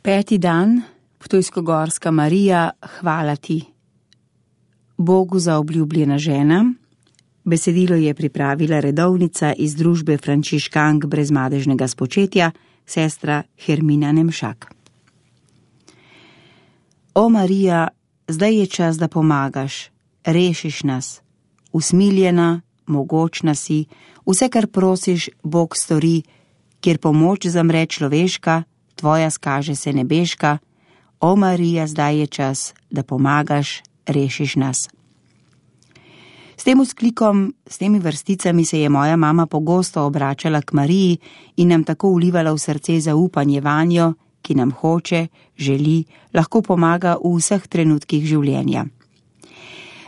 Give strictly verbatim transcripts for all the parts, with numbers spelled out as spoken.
Peti dan, Ptujsko-Gorska Marija, hvala ti. Bogu za obljubljena žena. Besedilo je pripravila redovnica iz družbe Frančiškank brezmadežnega spočetja, sestra Hermina Nemšak. O Marija, zdaj je čas, da pomagaš, rešiš nas. Usmiljena, mogočna si, vse, kar prosiš, Bog stori, kjer pomoč zamre človeška, tvoja skaže se nebeška. O Marija, zdaj je čas, da pomagaš, rešiš nas. S tem vzklikom, s temi vrsticami se je moja mama pogosto obračala k Mariji in nam tako vlivala v srce zaupanje vanjo, ki nam hoče, želi, lahko pomaga v vseh trenutkih življenja.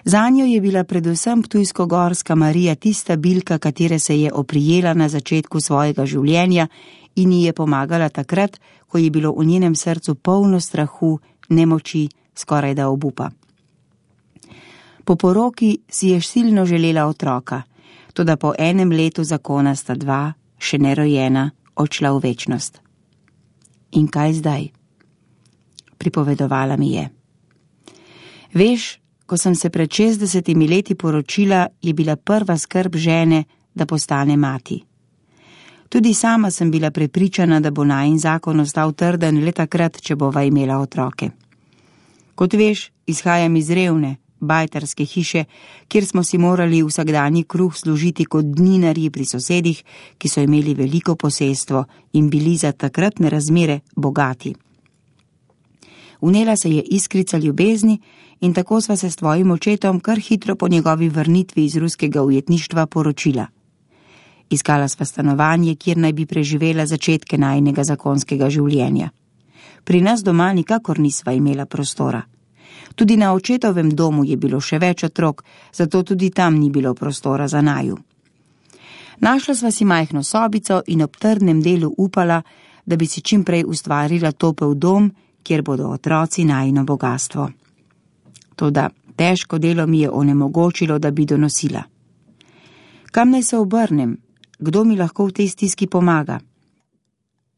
Zanjo je bila predvsem Ptujsko-Gorska Marija tista bilka, katere se je oprijela na začetku svojega življenja in ji je pomagala takrat, ko je bilo v njenem srcu polno strahu, nemoči, skorajda obupa. Po poroki si je silno želela otroka, toda po enem letu zakona sta dva, še nerojena, odšla v večnost. In kaj zdaj? Pripovedovala mi je. Veš, ko sem se pred šestdesetimi leti poročila, je bila prva skrb žene, da postane mati. Tudi sama sem bila prepričana, da bo najin zakon ostal trden le takrat, če bova imela otroke. Kot veš, izhajam iz revne, bajtarske hiše, kjer smo si morali vsakdanji kruh služiti kot dninarji pri sosedih, ki so imeli veliko posestvo in bili za takratne razmere bogati. Vnela se je iskrica ljubezni in tako sva se s tvojim očetom kar hitro po njegovi vrnitvi iz ruskega ujetništva poročila. Iskala sva stanovanje, kjer naj bi preživela začetke najinega zakonskega življenja. Pri nas doma nikakor nisva imela prostora. Tudi na očetovem domu je bilo še več otrok, zato tudi tam ni bilo prostora za naju. Našla sva si majhno sobico in ob trdnem delu upala, da bi si čim prej ustvarila topel dom, kjer bodo otroci najino bogastvo. Toda težko delo mi je onemogočilo, da bi donosila. Kam naj se obrnem? Kdo mi lahko v tej stiski pomaga?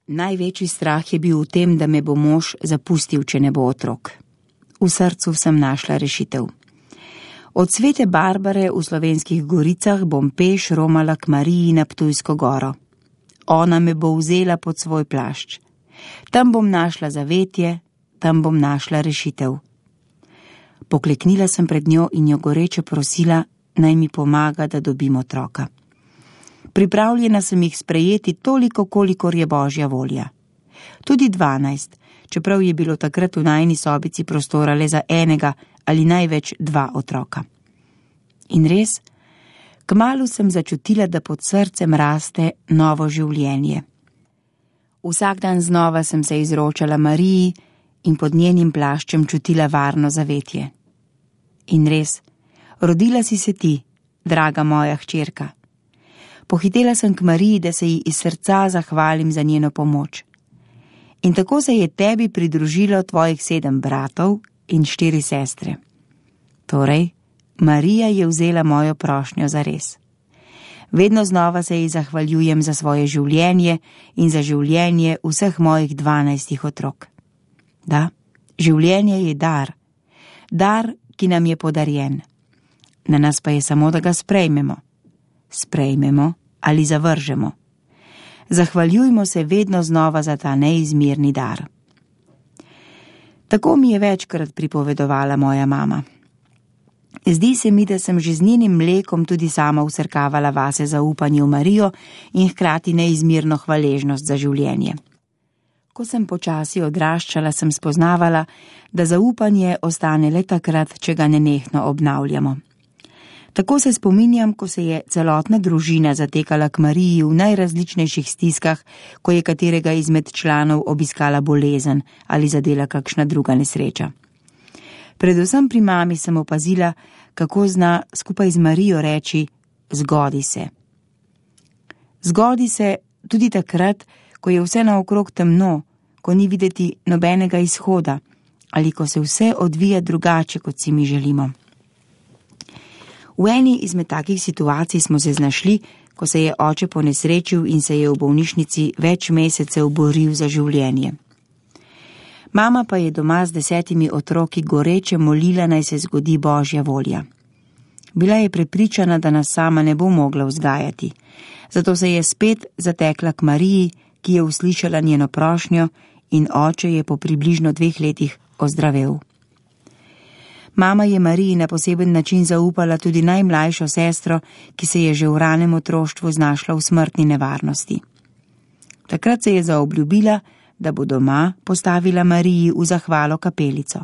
Največji strah je bil v tem, da me bo mož zapustil, če ne bo otrok. V srcu sem našla rešitev. Od Svete Barbare v Slovenskih Goricah bom peš romala k Mariji na Ptujsko goro. Ona me bo vzela pod svoj plašč. Tam bom našla zavetje, tam bom našla rešitev. Pokleknila sem pred njo in jo goreče prosila, naj mi pomaga, da dobim otroka. Pripravljena sem jih sprejeti toliko, kolikor je Božja volja. Tudi dvanajst, čeprav je bilo takrat v najini sobici prostora le za enega ali največ dva otroka. In res, kmalu sem začutila, da pod srcem raste novo življenje. Vsak dan znova sem se izročala Mariji in pod njenim plaščem čutila varno zavetje. In res, rodila si se ti, draga moja hčerka. Pohitela sem k Mariji, da se ji iz srca zahvalim za njeno pomoč. In tako se je tebi pridružilo tvojih sedem bratov in štiri sestre. Torej, Marija je vzela mojo prošnjo za res. Vedno znova se ji zahvaljujem za svoje življenje in za življenje vseh mojih dvanajstih otrok. Da, življenje je dar. Dar, ki nam je podarjen. Na nas pa je samo, da ga sprejmemo. Sprejmemo ali zavržemo. Zahvaljujmo se vedno znova za ta neizmerni dar. Tako mi je večkrat pripovedovala moja mama. Zdi se mi, da sem že z njenim mlekom tudi sama vsrkavala vase zaupanje v Marijo in hkrati neizmerno hvaležnost za življenje. Ko sem počasi odraščala, sem spoznavala, da zaupanje ostane le takrat, če ga nenehno obnavljamo. Tako se spominjam, ko se je celotna družina zatekala k Mariji v najrazličnejših stiskah, ko je katerega izmed članov obiskala bolezen ali zadela kakšna druga nesreča. Predvsem pri mami sem opazila, kako zna skupaj z Marijo reči: zgodi se. Zgodi se tudi takrat, ko je vse naokrog temno, ko ni videti nobenega izhoda ali ko se vse odvija drugače, kot si mi želimo. V eni izmed takih situacij smo se znašli, ko se je oče ponesrečil in se je v bolnišnici več mesecev boril za življenje. Mama pa je doma z desetimi otroki goreče molila, naj se zgodi Božja volja. Bila je prepričana, da nas sama ne bo mogla vzgajati, zato se je spet zatekla k Mariji, ki je uslišala njeno prošnjo, in oče je po približno dveh letih ozdravel. Mama je Mariji na poseben način zaupala tudi najmlajšo sestro, ki se je že v ranem otroštvu znašla v smrtni nevarnosti. Takrat se je zaobljubila, da bo doma postavila Mariji v zahvalo kapelico.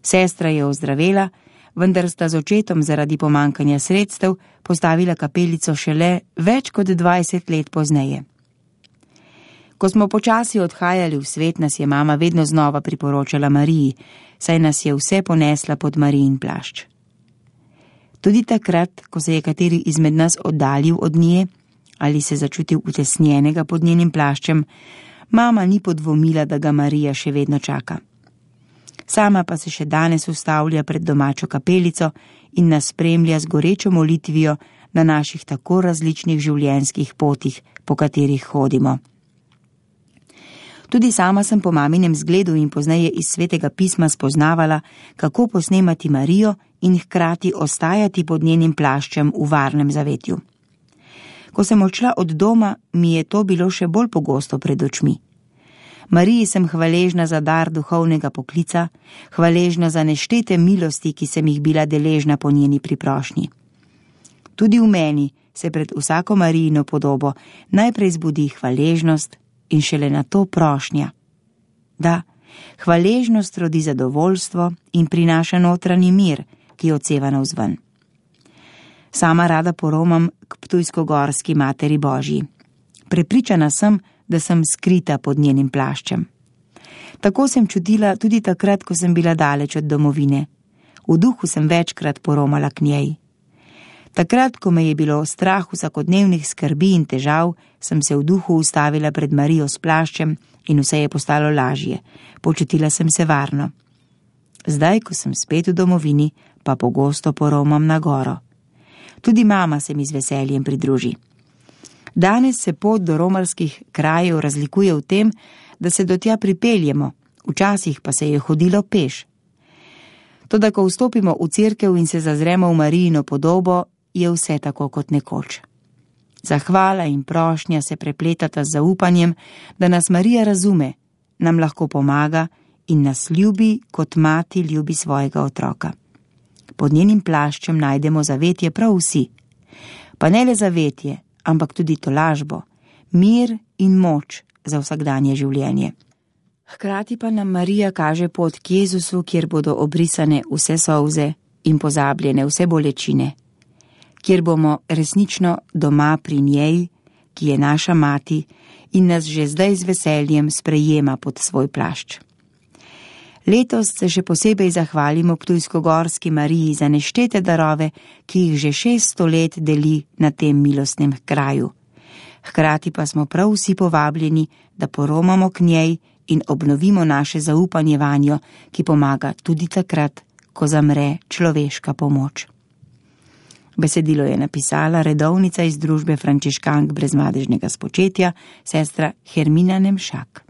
Sestra je ozdravela, vendar sta z očetom zaradi pomankanja sredstev postavila kapelico šele več kot dvajset let pozneje. Ko smo počasi odhajali v svet, nas je mama vedno znova priporočala Mariji, saj nas je vse ponesla pod Marijin plašč. Tudi takrat, ko se je kateri izmed nas oddaljil od nje ali se začutil utesnjenega pod njenim plaščem, mama ni podvomila, da ga Marija še vedno čaka. Sama pa se še danes ustavlja pred domačo kapelico in nas spremlja z gorečo molitvijo na naših tako različnih življenjskih potih, po katerih hodimo. Tudi sama sem po maminem zgledu in pozneje iz Svetega pisma spoznavala, kako posnemati Marijo in hkrati ostajati pod njenim plaščem v varnem zavetju. Ko sem odšla od doma, mi je to bilo še bolj pogosto pred očmi. Mariji sem hvaležna za dar duhovnega poklica, hvaležna za neštete milosti, ki sem jih bila deležna po njeni priprošnji. Tudi v meni se pred vsako Marijino podobo najprej zbudi hvaležnost in šele na to prošnja. Da, hvaležnost rodi zadovoljstvo in prinaša notranji mir, ki odseva navzven. Sama rada poromam k ptujsko-gorski Materi Božji. Prepričana sem, da sem skrita pod njenim plaščem. Tako sem čutila tudi takrat, ko sem bila daleč od domovine. V duhu sem večkrat poromala k njej. Takrat, ko me je bilo strah vsakodnevnih skrbi in težav, sem se v duhu ustavila pred Marijo s plaščem in vse je postalo lažje. Počutila sem se varno. Zdaj, ko sem spet v domovini, pa pogosto poromam na goro. Tudi mama se mi z veseljem pridruži. Danes se pot do romarskih krajev razlikuje v tem, da se do tja pripeljemo, včasih pa se je hodilo peš. Toda ko vstopimo v cerkev in se zazremo v Marijino podobo, je vse tako kot nekoč. Zahvala in prošnja se prepletata z zaupanjem, da nas Marija razume, nam lahko pomaga in nas ljubi, kot mati ljubi svojega otroka. Pod njenim plaščem najdemo zavetje prav vsi. Pa ne le zavetje, ampak tudi tolažbo, mir in moč za vsakdanje življenje. Hkrati pa nam Marija kaže pot k Jezusu, kjer bodo obrisane vse solze in pozabljene vse bolečine, kjer bomo resnično doma pri njej, ki je naša mati in nas že zdaj z veseljem sprejema pod svoj plašč. Letos se še posebej zahvalimo ptujsko-gorski Mariji za neštete darove, ki jih že šeststo let deli na tem milostnem kraju. Hkrati pa smo prav vsi povabljeni, da poromamo k njej in obnovimo naše zaupanje vanjo, ki pomaga tudi takrat, ko zamre človeška pomoč. Besedilo je napisala redovnica iz družbe frančiškank brezmadežnega spočetja, sestra Hermina Nemšak.